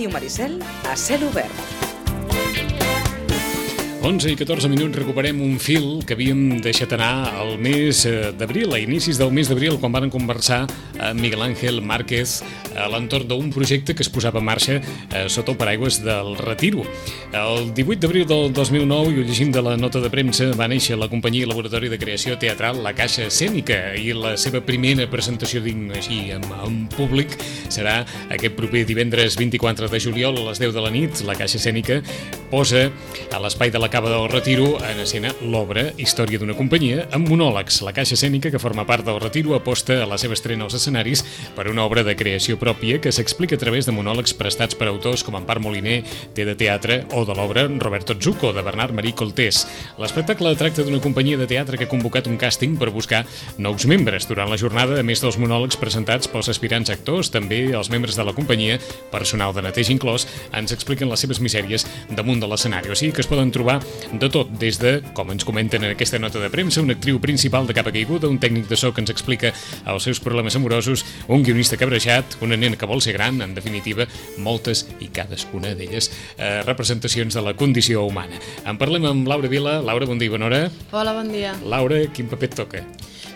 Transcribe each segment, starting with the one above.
Ràdio Maricel a cel obert. 11 i 14 minuts recuperem un fil que havíem deixat anar al mes d'abril, a inicis del mes d'abril, quan van conversar amb Miguel Ángel Márquez a l'entorn d'un projecte que es posava en marxa sota el paraigües del Retiro. El 18 d'abril del 2009, i ho llegim de la nota de premsa, va néixer la companyia i laboratori de creació teatral La Caixa Escènica, i la seva primera presentació digna així en públic serà aquest proper divendres 24 de juliol a les 10 de la nit. La Caixa Escènica posa a l'espai de la Cava del Retiro en escena l'obra Història d'una companyia amb monòlegs. La Caixa Escènica, que forma part del Retiro, aposta a la seva estrena als escenaris per una obra de creació pròpia que s'explica a través de monòlegs prestats per autors com Empar Moliner, Té de Teatre, o de l'obra Roberto Zucco, de Bernard Marí Coltés. L'espectacle tracta d'una companyia de teatre que ha convocat un càsting per buscar nous membres. Durant la jornada, a més dels monòlegs presentats pels aspirants actors, també els membres de la companyia, personal de neteja inclòs, ens expliquen les seves misèries damunt de l'escenari. O sigui que es poden trobar de tot, des de, com ens comenten en aquesta nota de premsa, una actriu principal de capa caiguda, un tècnic de so que ens explica els seus problemes amorosos, un guionista cabrejat, una nena que vol ser gran, en definitiva, moltes i cadascuna d'elles representacions de la condició humana. En parlem amb Laura Vila. Laura, bon dia i bona hora. Hola, bon dia. Laura, quin paper et toca?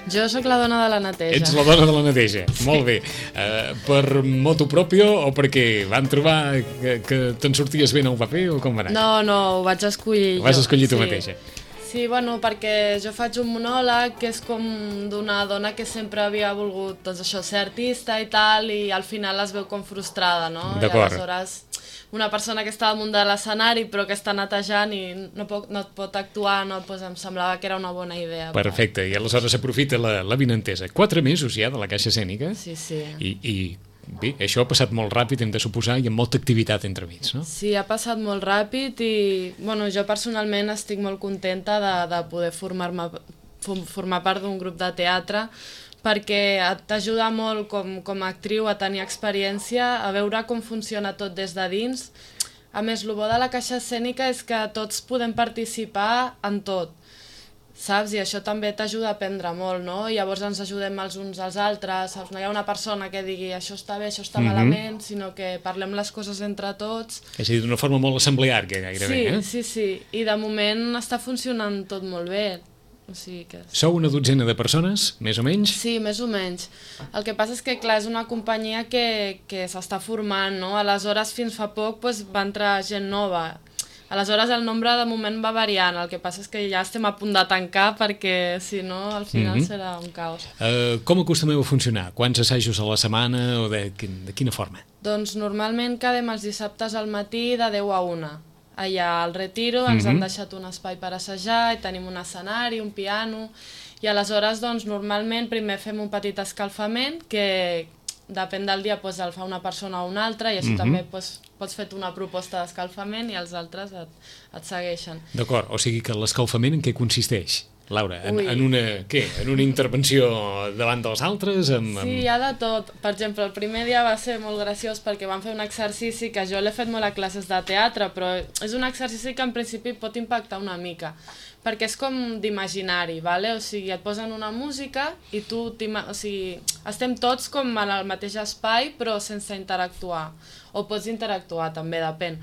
Jo sóc la dona de la neteja. Ets la dona de la neteja, sí. Molt bé. Per motu propio o perquè van trobar que te'n sorties bé en el paper o com va anar? No, ho vaig escollir jo. Ho vas escollir tu mateixa. Sí, bueno, perquè jo faig un monòleg que és com d'una dona que sempre havia volgut, doncs això, ser artista i tal, i al final es veu com frustrada, no? D'acord. I aleshores una persona que està damunt de l'escenari però que està netejant i no pot actuar, no, doncs em semblava que era una bona idea. Perfecte, i aleshores s'aprofita la vinentesa. 4 mesos ja de la Caixa Escènica. Sí. I bé, això ha passat molt ràpid, hem de suposar, i amb molta activitat entremig, no? Sí, ha passat molt ràpid i bueno, jo personalment estic molt contenta de poder formar part d'un grup de teatre, perquè t'ajuda molt com a actriu a tenir experiència, a veure com funciona tot des de dins. A més, el bo de la Caixa Escènica és que tots podem participar en tot, saps? I això també t'ajuda a aprendre molt, no? I llavors ens ajudem els uns als altres, saps? No hi ha una persona que digui això està bé, això està malament, sinó que parlem les coses entre tots. És a dir, d'una forma molt assembleària, gairebé, Sí. I de moment està funcionant tot molt bé. O sigui que... Sou una dotzena de persones, més o menys? Sí, més o menys. El que passa és que, clar, és una companyia que s'està formant, no? Aleshores, fins fa poc, doncs, va entrar gent nova. Aleshores, el nombre de moment va variant. El que passa és que ja estem a punt de tancar perquè, si no, al final serà un caos. Com acostumeu a funcionar? Quants assajos a la setmana o de quina forma? Doncs normalment quedem els dissabtes al matí de 10 a 1. Allà al Retiro ens han deixat un espai per assajar i tenim un escenari, un piano, i aleshores doncs normalment primer fem un petit escalfament que depèn del dia doncs, el fa una persona o una altra, i així també doncs, pots fer una proposta d'escalfament i els altres et segueixen. D'acord, o sigui que l'escalfament en què consisteix? Laura, en una intervenció davant dels altres? Sí, hi ha de tot. Per exemple, el primer dia va ser molt graciós perquè vam fer un exercici que jo l'he fet molt a classes de teatre, però és un exercici que en principi pot impactar una mica, perquè és com d'imaginari, ¿vale? O sigui, et posen una música i tu, o sigui, estem tots com en el mateix espai però sense interactuar, o pots interactuar també, depèn.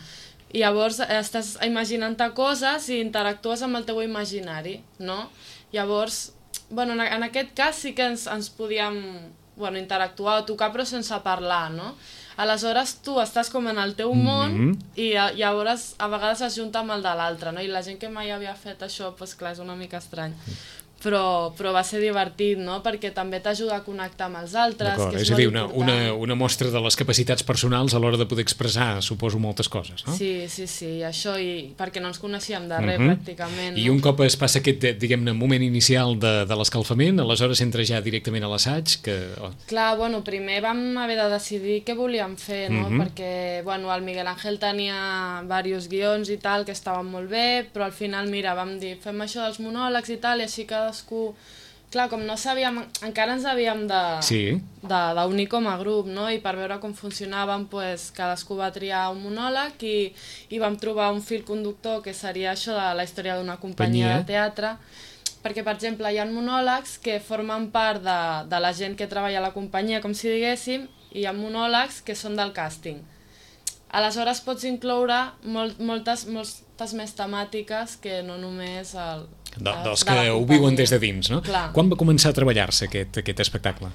I llavors estàs imaginant-te coses i interactues amb el teu imaginari, no? Llavors, bueno, en aquest cas sí que ens podíem interactuar o tocar però sense parlar, no? Aleshores tu estàs com en el teu món i llavors a vegades es junta amb el de l'altre, no? I la gent que mai havia fet això, doncs clar, és una mica estrany. Però va ser divertit, no? Perquè també t'ajuda a connectar amb els altres, que és molt important. Una mostra de les capacitats personals a l'hora de poder expressar, suposo, moltes coses, no? Sí, això, i perquè no ens coneixíem de res, pràcticament. I un cop es passa aquest, diguem-ne, moment inicial de l'escalfament, aleshores entra ja directament a l'assaig? Clar, bueno, primer vam haver de decidir què volíem fer, no? Perquè, bueno, el Miguel Ángel tenia diversos guions i tal, que estaven molt bé, però al final, mira, vam dir, fem això dels monòlegs i tal, i així cadascú... Clar, com no sabíem, encara ens havíem d'unir com a grup, no? I per veure com funcionàvem, doncs, cadascú va triar un monòleg i vam trobar un fil conductor que seria això de la història d'una companyia de teatre, perquè, per exemple, hi ha monòlegs que formen part de la gent que treballa a la companyia, com si diguéssim, i hi ha monòlegs que són del càsting. aleshores pots incloure moltes més temàtiques que no només dels que ho viuen des de dins, no? Clar. Quan va començar a treballar-se aquest espectacle?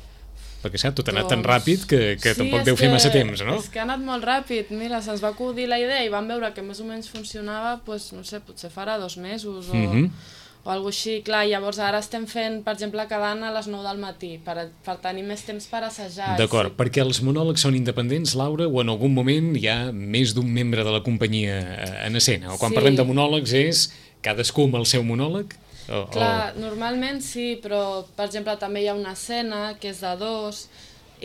Perquè, saps, tot ha anat tan ràpid que tampoc deu fer massa temps, no? És que ha anat molt ràpid. Mira, se'ns va acudir la idea i vam veure que més o menys funcionava, doncs, no sé, potser farà 2 mesos o alguna cosa així. Clar, llavors ara estem fent, per exemple, cada any a les 9 del matí, per tenir més temps per assajar. D'acord, perquè els monòlegs són independents, Laura, o en algun moment hi ha més d'un membre de la companyia en escena? O quan parlem de monòlegs és cadascú amb el seu monòleg? Clar, normalment sí, però per exemple també hi ha una escena que és de 2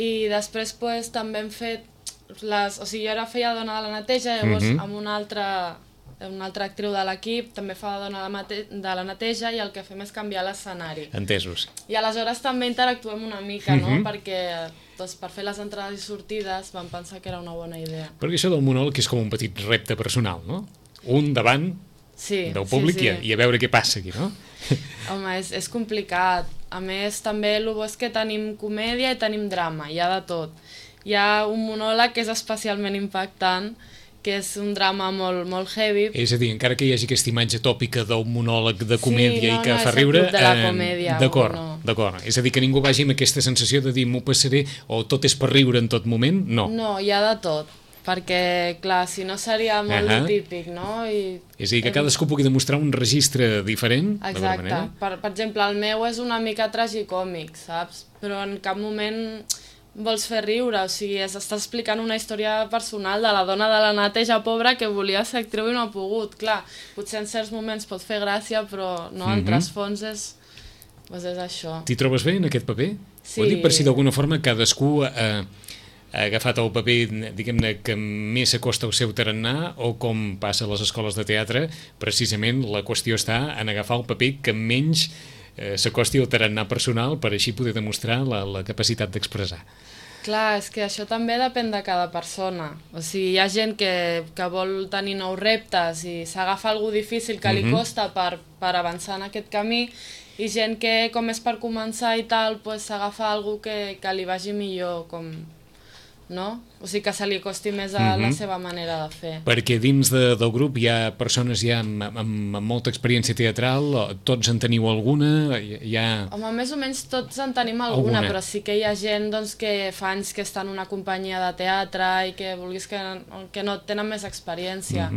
i després també hem fet o sigui, jo ara feia dona de la neteja, llavors amb una altra actriu de l'equip també fa dona de la neteja i el que fem és canviar l'escenari. Entesos. I aleshores també interactuem una mica, no? Perquè per fer les entrades i sortides vam pensar que era una bona idea. Perquè això del monòleg és com un petit repte personal, no? Un davant del públic i a veure què passa aquí, no? Home, és complicat. A més, també el bo és que tenim comèdia i tenim drama, hi ha de tot. Hi ha un monòleg que és especialment impactant, que és un drama molt heavy. És a dir, encara que hi hagi aquesta imatge tòpica d'un monòleg de comèdia i que fa riure... Sí, no és el club de la comèdia. D'acord. És a dir, que ningú vagi amb aquesta sensació de dir m'ho passaré o tot és per riure en tot moment, no. No, hi ha de tot. Perquè, clar, si no seria molt típic, no? És a dir, que cadascú pugui demostrar un registre diferent. Exacte. Per exemple, el meu és una mica tragicòmic, saps? Però en cap moment vols fer riure, o sigui, estàs explicant una història personal de la dona de la neteja pobra que volia ser actriu i no ha pogut. Clar, potser en certs moments pot fer gràcia, però no, en trasfons és això. T'hi trobes bé en aquest paper? Sí. Ho dic per si d'alguna forma cadascú ha agafat el paper, diguem-ne, que més s'acosta al seu tarannà, o com passa a les escoles de teatre, precisament la qüestió està en agafar el paper que menys s'acosti al tarannà personal per així poder demostrar la capacitat d'expressar. Clar, és que això també depèn de cada persona. O sigui, hi ha gent que vol tenir nous reptes i s'agafa algú difícil que li costa per avançar en aquest camí, i gent que, com és per començar i tal, s'agafa algú que li vagi millor, no? O sigui, que se li acosti més a la seva manera de fer. Perquè dins del grup hi ha persones ja amb molta experiència teatral, tots en teniu alguna? Home, més o menys tots en tenim alguna, però sí que hi ha gent que fa anys que està en una companyia de teatre i que vulguis que no tenen més experiència,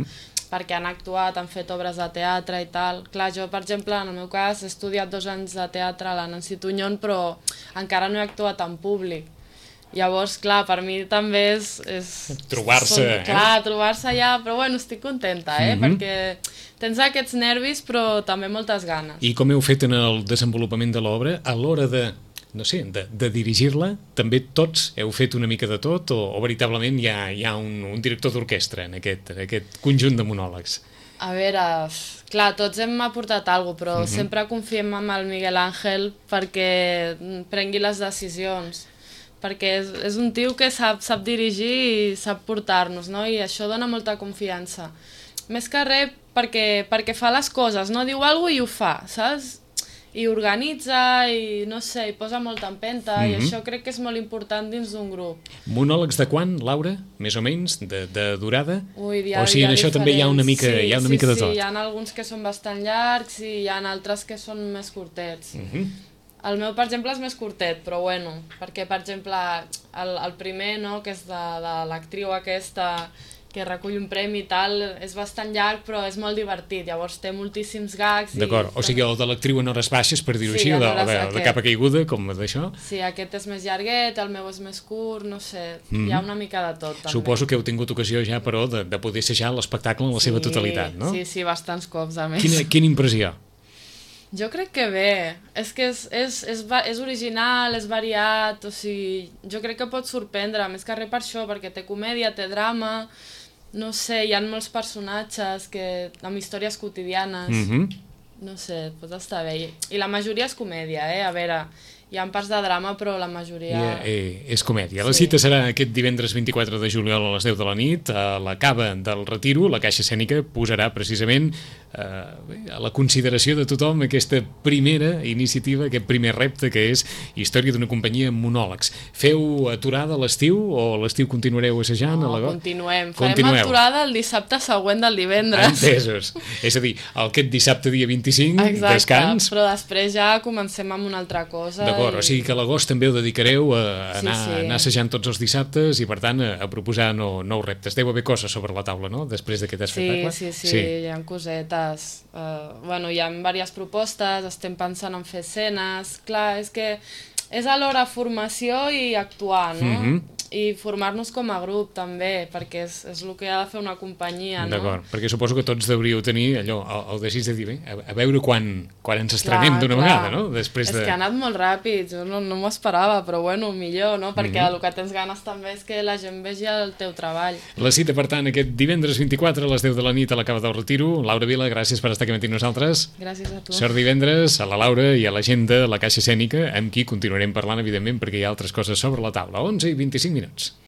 perquè han actuat, han fet obres de teatre i tal. Clar, jo, per exemple, en el meu cas, he estudiat 2 anys de teatre a la Nancy Tuñón, però encara no he actuat en públic. Llavors, clar, per mi també és trobar-se. Clar, trobar-se allà, però bueno, estic contenta, perquè tens aquests nervis, però també moltes ganes. I com heu fet en el desenvolupament de l'obra, a l'hora de dirigir-la, també tots heu fet una mica de tot, o veritablement hi ha un director d'orquestra en aquest conjunt de monòlegs? A veure, clar, tots hem aportat alguna cosa, però sempre confiem en el Miguel Ángel perquè prengui les decisions, perquè és un tio que sap dirigir i sap portar-nos, no? I això dona molta confiança. Més que res perquè fa les coses, no? Diu alguna cosa i ho fa, saps? I organitza i no sé, i posa molta empenta i això crec que és molt important dins d'un grup. Monòlegs de quan, Laura? Més o menys? De durada? Ui, o sigui, en això també hi ha una mica, sí, de tot. Sí, hi ha alguns que són bastant llargs i hi ha altres que són més curtets. El meu, per exemple, és més curtet, però bueno, perquè, per exemple, el primer, no?, que és de l'actriu aquesta que recull un premi i tal, és bastant llarg, però és molt divertit, llavors té moltíssims gags. D'acord, o sigui, el de l'actriu en hores baixes, per dir-ho així, o de capa caiguda, com d'això? Sí, aquest és més llarguet, el meu és més curt, no sé, hi ha una mica de tot, també. Suposo que heu tingut ocasió ja, però, de poder assajar l'espectacle en la seva totalitat, no? Sí, bastants cops, a més. Quina impressió? Jo crec que bé, és que és original, és variat, o sigui, jo crec que pot sorprendre, més que res per això, perquè té comèdia, té drama, no sé, hi ha molts personatges amb històries quotidianes, no sé, pot estar bé. I la majoria és comèdia, a veure, Hi ha parts de drama, però la majoria... És comèdia. La cita serà aquest divendres 24 de juliol a les 10 de la nit. A la cava del Retiro, la Caixa Escènica posarà precisament a la consideració de tothom aquesta primera iniciativa, aquest primer repte que és Història d'una companyia amb monòlegs. Feu aturada a l'estiu o a l'estiu continuareu assajant? No, continuem. Farem aturada el dissabte següent del divendres. Entesos. És a dir, aquest dissabte dia 25, descans. Però després ja comencem amb una altra cosa. D'acord, o sigui que a l'agost també ho dedicareu a anar assajant tots els dissabtes i per tant a proposar nous reptes. Deu haver coses sobre la taula, no?, després d'aquest espectacle. Sí, hi ha cosetes. Hi ha diverses propostes, estem pensant en fer escenes. Clar, és que és alhora formació i actuar, no? I formar-nos com a grup també, perquè és el que ha de fer una companyia, no? D'acord, perquè suposo que tots deuríeu tenir allò, el desig de dir, bé, a veure quan ens estrenem d'una vegada, no? És que ha anat molt ràpid, jo no m'ho esperava, però bueno, millor, no? Perquè el que tens ganes també és que la gent vegi el teu treball. La cita, per tant, aquest divendres 24 a les 10 de la nit a la Cava del Retiro. Laura Vila, gràcies per estar aquí amb nosaltres. Gràcies a tu. Sort divendres a la Laura i a la gent de la Caixa Escènica, amb qui continuarem parlant, evidentment, perquè hi ha altres coses sobre la taula. 11:25.